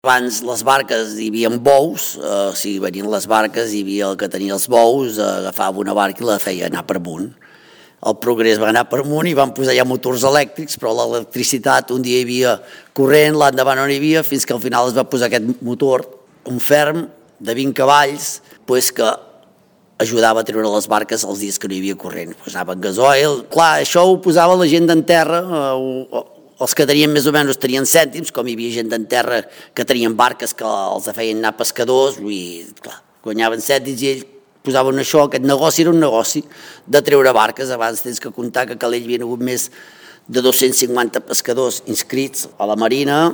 Abans les barques hi havia bous, si venien les barques hi havia el que tenia els bous, agafava una barca i la feia anar per amunt. El progrés va anar per amunt i van posar ja motors elèctrics, però l'electricitat un dia hi havia corrent, l'endavant no hi havia, fins que al final es va posar aquest motor, un ferm de 20 cavalls, que ajudava a treure les barques els dies que no hi havia corrent. Anava en gasoil. Clar, això ho posava la gent d'en terra, els que tenien més o menys tenien cèntims, com hi havia gent d'en terra que tenien barques que els feien anar pescadors, i clar, guanyaven cèntims i ells posaven això. Aquest negoci era un negoci de treure barques. Abans tens que comptar que a Calella hi havia hagut més de 250 pescadors inscrits a la Marina.